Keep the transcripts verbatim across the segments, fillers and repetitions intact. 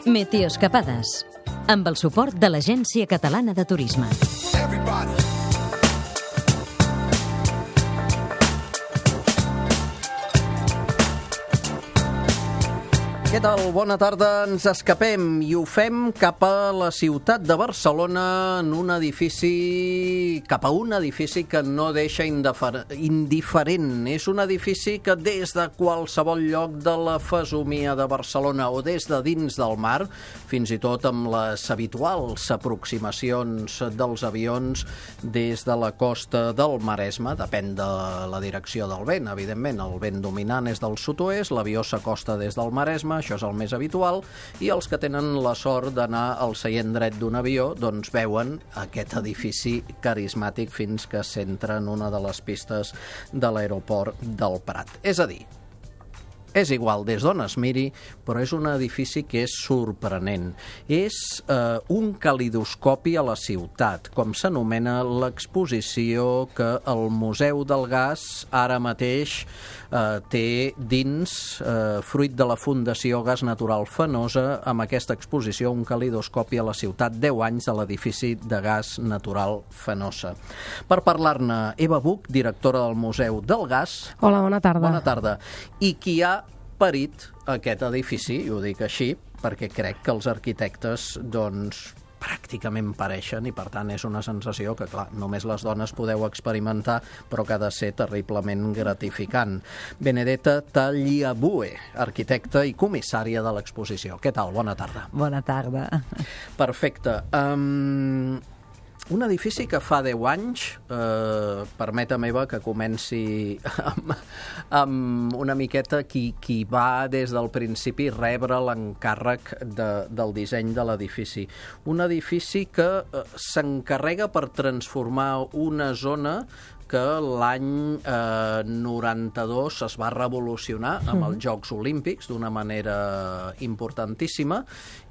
Meteoescapades, amb el suport de l'Agència Catalana de Turisme. Què tal? Bona tarda. Ens escapem i ho fem cap a la ciutat de Barcelona en un edifici, cap a un edifici que no deixa indiferent. És un edifici que des de qualsevol lloc de la fesomia de Barcelona o des de dins del mar, fins i tot amb les habituals aproximacions dels avions des de la costa del Maresme, depèn de la direcció del vent, evidentment. El vent dominant és del sud-oest, l'avió s'acosta des del Maresme, això és el més habitual, i els que tenen la sort d'anar al seient dret d'un avió doncs veuen aquest edifici carismàtic fins que s'entra en una de les pistes de l'aeroport del Prat. És a dir, és igual des d'on es miri, però és un edifici que és sorprenent. És eh, un calidoscopi a la ciutat, com s'anomena l'exposició que el Museu del Gas ara mateix eh, té dins, eh, fruit de la Fundació Gas Natural Fenosa, amb aquesta exposició, un calidoscopi a la ciutat, deu anys de l'edifici de Gas Natural Fenosa. Per parlar-ne, Eva Buch, directora del Museu del Gas. Hola, bona tarda. Bona tarda. I qui ha parit aquest edifici, i ho dic així, perquè crec que els arquitectes, doncs, pràcticament pareixen, i per tant és una sensació que, clar, només les dones podeu experimentar, però que ha de ser terriblement gratificant. Benedetta Tagliabue, arquitecta i comissària de l'exposició. Què tal? Bona tarda. Bona tarda. Perfecte. Um, un edifici que fa deu anys, eh, permetem, Eva, que comenci amb, amb una miqueta qui, qui va des del principi rebre l'encàrrec de, del disseny de l'edifici. Un edifici que eh, s'encarrega per transformar una zona que l'any eh, noranta-dos es va revolucionar amb els Jocs Olímpics d'una manera importantíssima,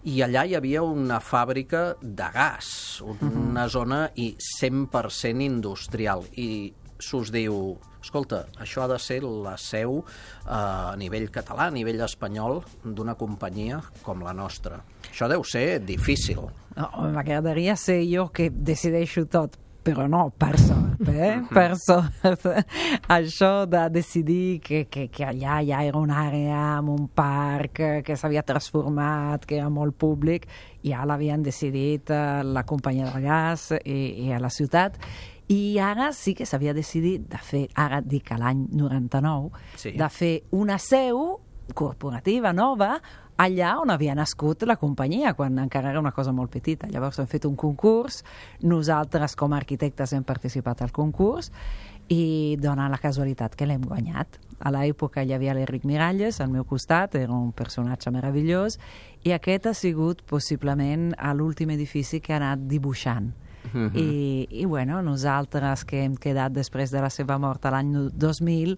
i allà hi havia una fàbrica de gas, una zona i cent per cent industrial, i s'us diu, escolta, això ha de ser la seu eh, a nivell català, a nivell espanyol, d'una companyia com la nostra. Això deu ser difícil. No, m'agradaria ser jo que decideixo tot, però no, per sort, eh? Per sort. Això de decidir que, que, que allà ja era una àrea amb un parc que s'havia transformat, que era molt públic, ja l'havien decidit eh, la companyia del gas i, i a la ciutat. I ara sí que s'havia decidit de fer, ara dic a l'any noranta-nou, sí, de fer una seu corporativa nova allà on havia nascut la companyia, quan encara era una cosa molt petita. Llavors hem fet un concurs, nosaltres com a arquitectes hem participat al concurs i dona la casualitat que l'hem guanyat. A l'època hi havia l'Enric Miralles al meu costat, era un personatge meravellós, i aquest ha sigut possiblement l'últim edifici que ha anat dibuixant. Mm-hmm. I, i bueno, nosaltres que hem quedat després de la seva mort a l'any dos mil...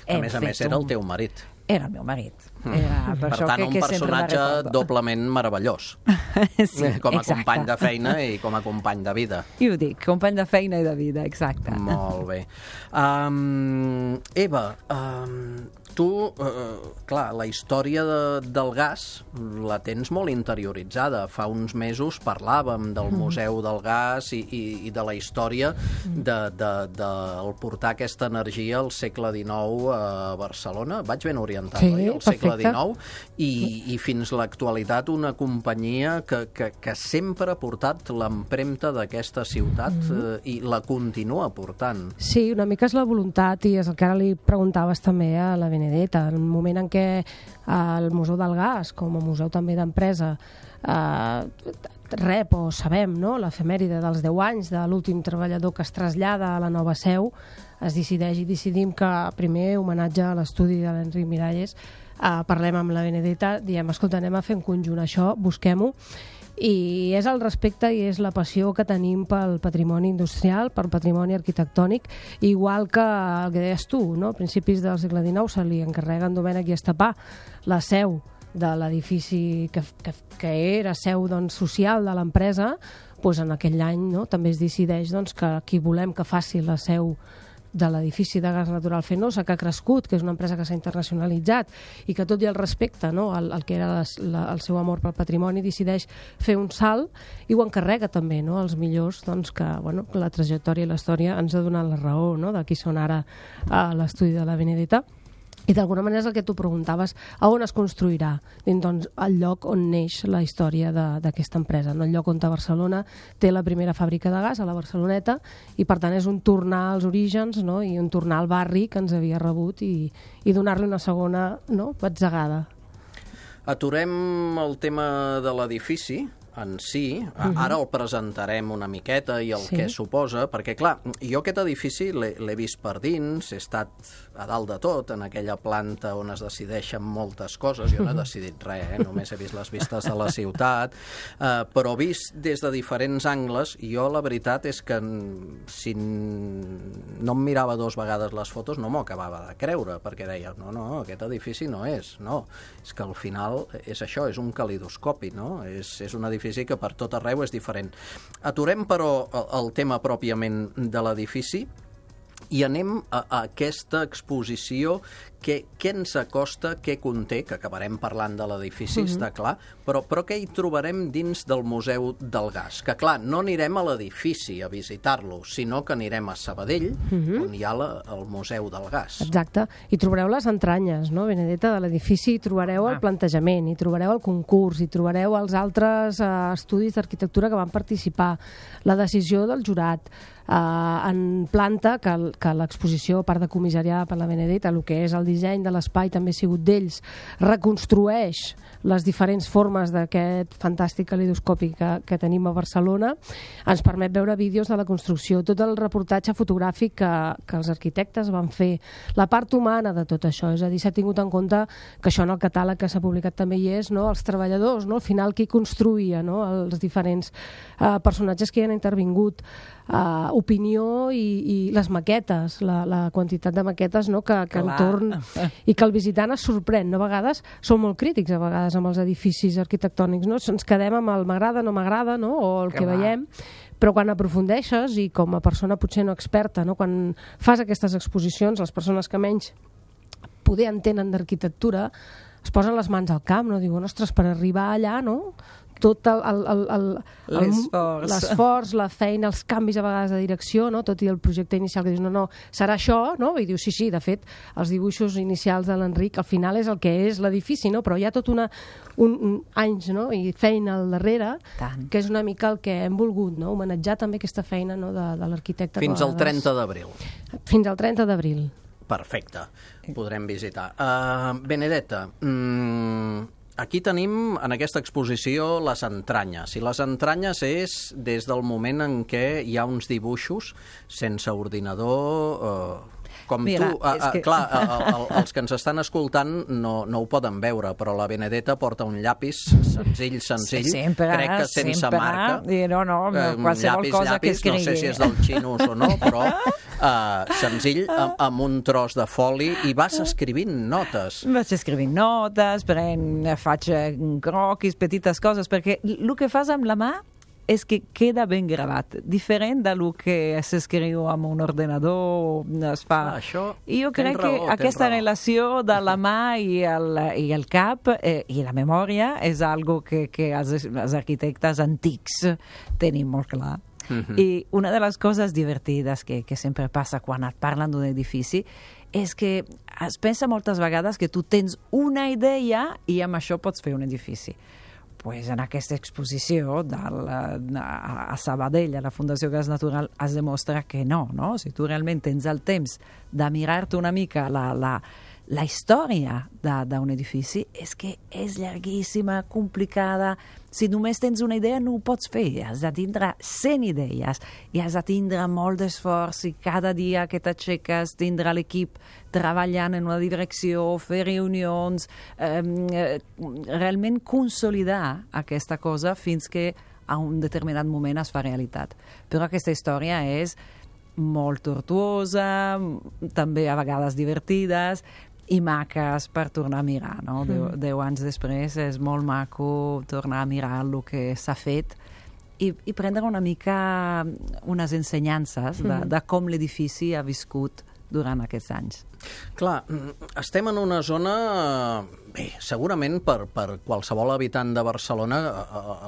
A més a més era el teu marit. Era el meu marit. Era per, per tant, que, un que personatge doblement meravellós. Sí, com a exacte. Company de feina i com a company de vida. I ho dic, company de feina i de vida, exacte. Molt bé. Um, Eva, um, tu, uh, clar, la història de, del gas la tens molt interioritzada. Fa uns mesos parlàvem del Museu del Gas i, i, i de la història de, de, de el portar aquesta energia al segle dinou a Barcelona. Vaig ben orientat, sí, oi? Al segle perfecte. dinou. I, i fins l'actualitat una companyia que, que, que sempre ha portat l'empremta d'aquesta ciutat mm-hmm. eh, i la continua portant. Sí, una mica és la voluntat, i és el que ara li preguntaves també a la Benedetta. En el moment en què el Museu del Gas, com a museu també d'empresa, eh, rep o sabem, no?, l'efemèride dels deu anys de l'últim treballador que es trasllada a la nova seu, es decideix i decidim que primer homenatge a l'estudi de l'Enric Miralles, eh, parlem amb la Benedetta, diem, escolta, anem a fer en conjunt això, busquem-ho, i és el respecte i és la passió que tenim pel patrimoni industrial, pel patrimoni arquitectònic, igual que el que deies tu, no? A principis del segle dinou se li encarrega en Domènech i Estapà la seu de l'edifici que, que, que era seu, doncs, social de l'empresa, doncs en aquell any, no?, també es decideix, doncs, que qui volem que faci la seu de l'edifici de gas natural Fenosa, que ha crescut, que és una empresa que s'ha internacionalitzat i que tot i el respecte, no, al, al que era les, la, el seu amor pel patrimoni, decideix fer un salt i ho encarrega també, no, als millors, doncs, que bueno, la trajectòria i la història ens ha donat la raó, no, de qui són ara a l'estudi de la Benedetta. I d'alguna manera és el que tu preguntaves, a on es construirà? Doncs el lloc on neix la història d'aquesta empresa, no? El lloc on a Barcelona té la primera fàbrica de gas, a la Barceloneta, i per tant és un tornar als orígens, no? I un tornar al barri que ens havia rebut i, i donar-li una segona, no, batzegada. Aturem el tema de l'edifici en si, uh-huh. Ara el presentarem una miqueta i el sí. que suposa, perquè clar, jo aquest edifici l'he vist per dins, he estat a dalt de tot, en aquella planta on es decideixen moltes coses, jo no he decidit res, eh? Només he vist les vistes de la ciutat, eh, però vist des de diferents angles, jo la veritat és que si no em mirava dues vegades les fotos no m'ho acabava de creure, perquè deia, no, no, aquest edifici no és, no, és que al final és això, és un calidoscopi, no? És, és un edifici que per tot arreu és diferent. Aturem, però, el tema pròpiament de l'edifici i anem a, a aquesta exposició. Què, què ens acosta, què conté, que acabarem parlant de l'edifici, mm-hmm. està clar, però, però què hi trobarem dins del Museu del Gas? Que clar, no anirem a l'edifici a visitar-lo, sinó que anirem a Sabadell, mm-hmm. on hi ha la, el Museu del Gas. Exacte, hi trobareu les entranyes, no, Benedetta, de l'edifici, hi trobareu ah. el plantejament, hi trobareu el concurs, hi trobareu els altres eh, estudis d'arquitectura que van participar, la decisió del jurat, eh, en planta, que, que l'exposició, a part de comissariada per la Benedetta, el que és el disseny de l'espai també ha sigut d'ells, reconstrueix les diferents formes d'aquest fantàstic calidoscopi que, que tenim a Barcelona, ens permet veure vídeos de la construcció, tot el reportatge fotogràfic que, que els arquitectes van fer, la part humana de tot això, és a dir, s'ha tingut en compte que això en el catàleg que s'ha publicat també hi és, no? Els treballadors, no? Al final qui construïa, no? Els diferents eh, personatges que hi han intervingut, Uh, opinió i, i les maquetes, la, la quantitat de maquetes, no, que, que entorn i que el visitant es sorprèn, no? A vegades som molt crítics a vegades amb els edificis arquitectònics, no? Ens quedem amb el m'agrada, no m'agrada, no? O el que, que veiem, però quan aprofundeixes i com a persona potser no experta, no? Quan fas aquestes exposicions, les persones que menys poder entenen d'arquitectura es posen les mans al camp, no? Diuen, ostres, per arribar allà, no? Tot l'esforç, la feina, els canvis a vegades de direcció, no? Tot i el projecte inicial que dius, no, no, serà això, no? I dius, sí, sí, de fet, els dibuixos inicials de l'Enric al final és el que és l'edifici, no? Però hi ha tot una, un, un anys, no? I feina al darrere, Tant. Que és una mica el que hem volgut, no? Homenatjar també aquesta feina, no? de, de l'arquitecte. Fins al trenta d'abril. Fins al trenta d'abril. Perfecte, podrem visitar. Uh, Benedetta, mm, aquí tenim, en aquesta exposició, les entranyes. I les entranyes és des del moment en què hi ha uns dibuixos sense ordinador, eh, com Mira, tu. Eh, eh, que... Clar, el, el, els que ens estan escoltant no, no ho poden veure, però la Benedetta porta un llapis senzill, senzill, sempre, crec que sense sempre, marca. I no, no, eh, qualsevol llapis, cosa llapis, que escrigui. No sé si és del xinus o no, però eh, senzill, amb, amb un tros de foli, i vas escrivint notes. Vaig escrivint notes, pren, faig croquis, petites coses, perquè el que fas amb la mà és que queda ben gravat, diferent de lo que s'escriu amb un ordenador, es fa. Ah, això, I jo crec raó, que aquesta raó. relació de la mà i el, i el cap eh, i la memòria és algo que, que els, els arquitectes antics tenim molt clar. Uh-huh. I una de les coses divertides que, que sempre passa quan et parlen d'un edifici és que es pensa moltes vegades que tu tens una idea i amb això pots fer un edifici. Pues en aquesta exposició del, a Sabadell, a la Fundació Gas Natural, es demostra que no, no? Si tu realment tens el temps de mirar-te una mica la, la, la història d'un edifici, és que és llarguíssima, complicada. Si només tens una idea no ho pots fer, has de tindre cent idees i has de tindre molt d'esforç i cada dia que t'aixeques tindre l'equip treballant en una direcció, fer reunions, eh, realment consolidar aquesta cosa fins que a un determinat moment es fa realitat. Però aquesta història és molt tortuosa, també a vegades divertides, i maques per tornar a mirar, no? Mm. Deu, deu anys després és molt maco tornar a mirar el que s'ha fet i, i prendre una mica unes ensenyances de, Mm. de com l'edifici ha viscut durant aquests anys. Clar, estem en una zona, bé, segurament per, per qualsevol habitant de Barcelona,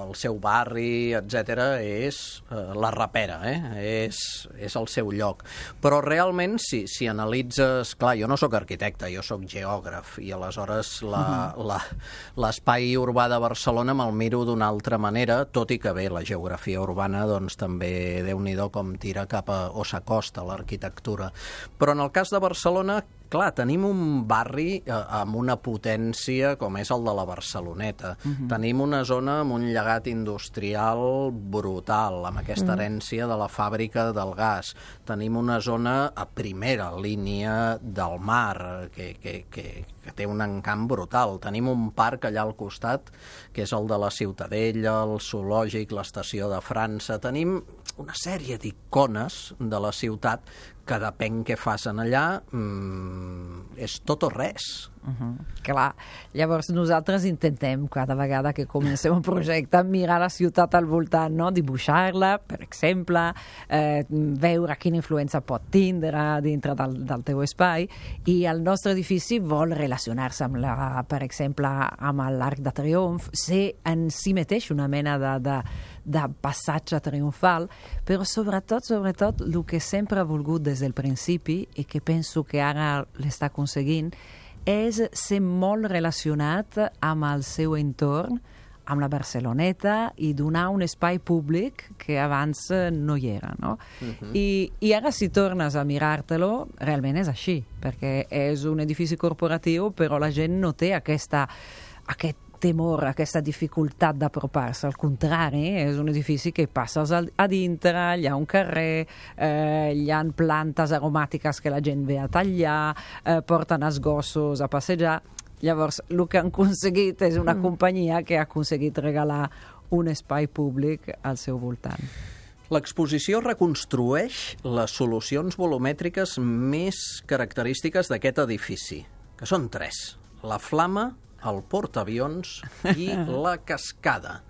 el seu barri, etcètera, és la rapera, eh? és, és el seu lloc. Però realment, si, si analitzes... Clar, jo no sóc arquitecte, jo sóc geògraf, i aleshores la, uh-huh. la, l'espai urbà de Barcelona me'l miro d'una altra manera, tot i que bé, la geografia urbana doncs, també, Déu-n'hi-do, com tira cap a... o s'acosta a l'arquitectura. Però en el cas de Barcelona, clar, tenim un barri eh, amb una potència com és el de la Barceloneta. Uh-huh. Tenim una zona amb un llegat industrial brutal, amb aquesta uh-huh. herència de la fàbrica del gas. Tenim una zona a primera línia del mar, que, que, que, que té un encant brutal. Tenim un parc allà al costat, que és el de la Ciutadella, el zoològic, l'estació de França. Tenim una sèrie d'icones de la ciutat que depèn què fas en allà, mmm, és tot o res. Uh-huh. Clar, llavors nosaltres intentem cada vegada que comencem un projecte mirar la ciutat al voltant, no? Dibuixar-la, per exemple, eh, veure quina influència pot tindre dintre del, del teu espai, i el nostre edifici vol relacionar-se amb la, per exemple, amb l'Arc de Triomf, ser en si mateix una mena de, de, de passatge triomfal, però sobretot, sobretot, el que sempre ha volgut des del principi i que penso que ara l'està aconseguint és ser molt relacionat amb el seu entorn, amb la Barceloneta, i donar un espai públic que abans no hi era, no? Uh-huh. I, I ara si tornes a mirar-te-lo, realment és així, perquè és un edifici corporatiu, però la gent no té aquesta, aquest temor, aquesta dificultat d'apropar-se. Al contrari, és un edifici que passes a dintre, hi ha un carrer, eh, hi ha plantes aromàtiques que la gent ve a tallar, eh, porten els gossos a passejar. Llavors, el que han aconseguit és una mm. companyia que ha aconseguit regalar un espai públic al seu voltant. L'exposició reconstrueix les solucions volumètriques més característiques d'aquest edifici, que són tres: la flama, el portaavions i la cascada.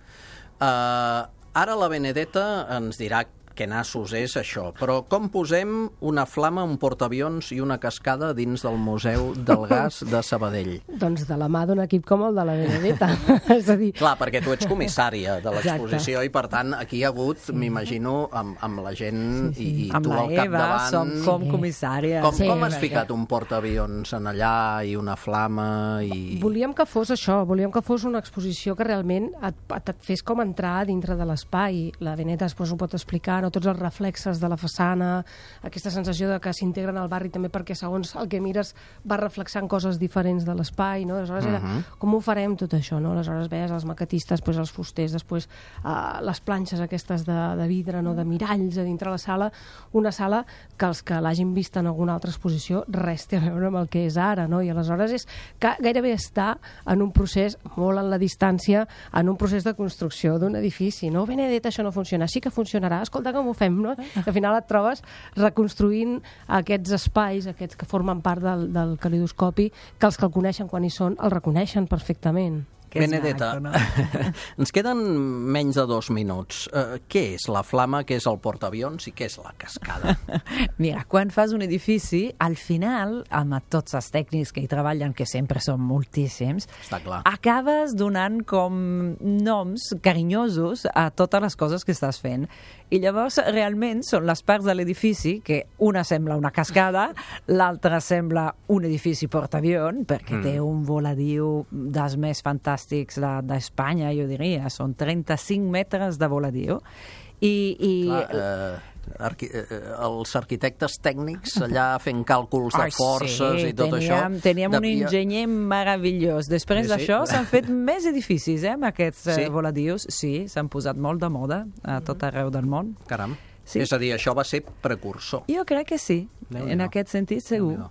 Uh, ara la Benedetta ens dirà què nassos és això, però com posem una flama, un portaavions i una cascada dins del Museu del Gas de Sabadell? Doncs de la mà d'un equip com el de la Benedetta. És a dir... Clar, perquè tu ets comissària de l'exposició i, per tant, aquí hi ha hagut, sí. m'imagino, amb, amb la gent sí, sí. i, i tu al capdavant... Amb la Eva som com comissària. Com, sí, com has perquè... ficat un portaavions en allà i una flama? I... Volíem que fos això, volíem que fos una exposició que realment et, et, et fes com entrar dintre de l'espai. La Benedetta després ho pot explicar, no? Tots els reflexes de la façana, aquesta sensació de que s'integren al barri també perquè segons el que mires va reflexant coses diferents de l'espai, no? Aleshores era, uh-huh. com ho farem tot això, no? Aleshores veies els maquetistes, després els fusters, després uh, les planxes aquestes de, de vidre, no? De miralls a dintre la sala, una sala que els que l'hagin vist en alguna altra exposició res té a veure amb el que és ara, no? I aleshores és que gairebé està en un procés molt en la distància, en un procés de construcció d'un edifici, no? Benedetta, això no funciona, sí que funcionarà, escolta com ho fem, no? Al final et trobes reconstruint aquests espais, aquests que formen part del, del calidoscopi, que els que el coneixen quan hi són el reconeixen perfectament. Benedetta, maco, no? Ens queden menys de dos minuts. Uh, què és la flama, què és el portaavions i què és la cascada? Mira, quan fas un edifici, al final, amb tots els tècnics que hi treballen, que sempre són moltíssims, està clar, acabes donant com noms carinyosos a totes les coses que estàs fent. I llavors, realment, són les parts de l'edifici que una sembla una cascada, l'altra sembla un edifici portaavions, perquè mm. té un voladiu dels més fantàstics d'Espanya, jo diria. Són trenta-cinc metres de voladiu. I, i... Clar, eh, arqui eh, els arquitectes tècnics allà fent càlculs de forces sí, i tot teníem, això... Teníem de... un enginyer meravellós. Després sí, d'això sí. s'han fet més edificis, eh, amb aquests sí. voladius. Sí, s'han posat molt de moda a tot arreu del món. Caram. Sí. És a dir, això va ser precursor. Jo crec que sí, en aquest sentit segur.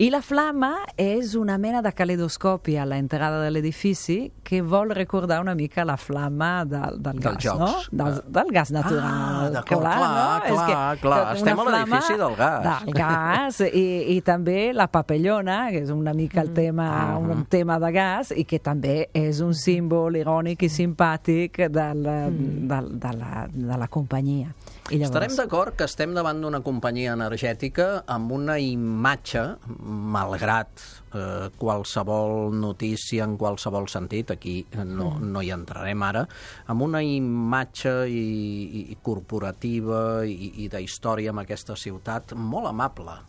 I la flama és una mena de calidoscopi a l'entrada de l'edifici que vol recordar una mica la flama del, del Dels gas, jocs. no? Del, del gas natural. Ah, d'acord, clar, no? clar, És que, clar. que Estem una a l'edifici del gas. Del gas, i, i també la papellona, que és una mica el tema, Mm. un tema de gas, i que també és un símbol irònic i simpàtic del, del, de, la, de la companyia. I llavors... Estarem d'acord que estem davant d'una companyia energètica amb una imatge, malgrat eh, qualsevol notícia en qualsevol sentit, aquí no, no hi entrarem ara, amb una imatge i, i corporativa i, i d'història amb aquesta ciutat molt amable.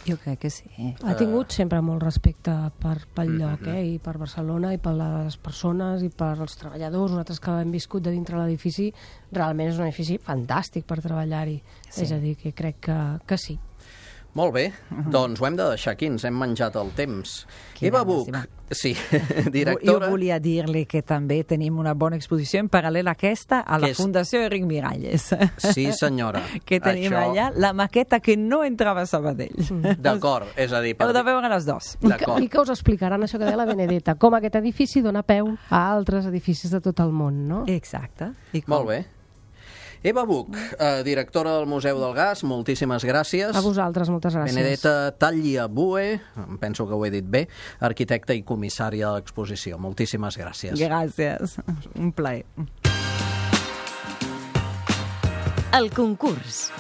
Jo crec que sí. Ha tingut sempre molt respecte per, pel lloc, eh? I per Barcelona, i per les persones, i per els treballadors. Nosaltres que hem viscut de dintre l'edifici, realment és un edifici fantàstic per treballar-hi. Sí. És a dir, que crec que, que sí. Molt bé, doncs ho hem de deixar aquí, ens hem menjat el temps. Quina Eva Buch, llàstima. sí, Jo directora... volia dir-li que també tenim una bona exposició en paral·lel a aquesta a la Que és- Fundació Enric Miralles. Sí, senyora. Que tenim Això- allà la maqueta que no entrava a Sabadell. D'acord, és a dir... Heu de veure les dos. I que, D'acord. I que us explicaran això que deia la Benedetta, com aquest edifici dona peu a altres edificis de tot el món, no? Exacte. I com? Molt bé. Eva Buch, eh, directora del Museu del Gas, moltíssimes gràcies. A vosaltres, moltes gràcies. Benedetta Tagliabue, em penso que ho he dit bé, arquitecta i comissària de l'exposició. Moltíssimes gràcies. Gràcies. Un plaer. El concurs.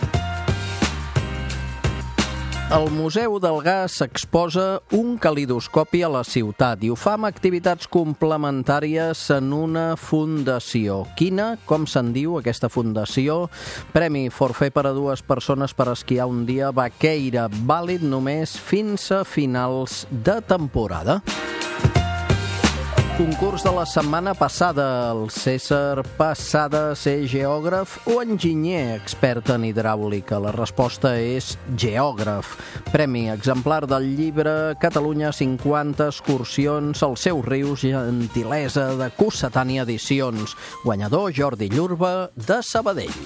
El Museu del Gas exposa un calidoscopi a la ciutat i ho fa amb activitats complementàries en una fundació. Quina? Com se'n diu aquesta fundació? Premi forfait per a dues persones per esquiar un dia vaqueira, vàlid només fins a finals de temporada. Concurs de la setmana passada. El César Passada ser geògraf o enginyer expert en hidràulica? La resposta és geògraf. Premi exemplar del llibre Catalunya cinquanta excursions als seus rius, gentilesa de Cossetània Edicions. Guanyador Jordi Llurba de Sabadell.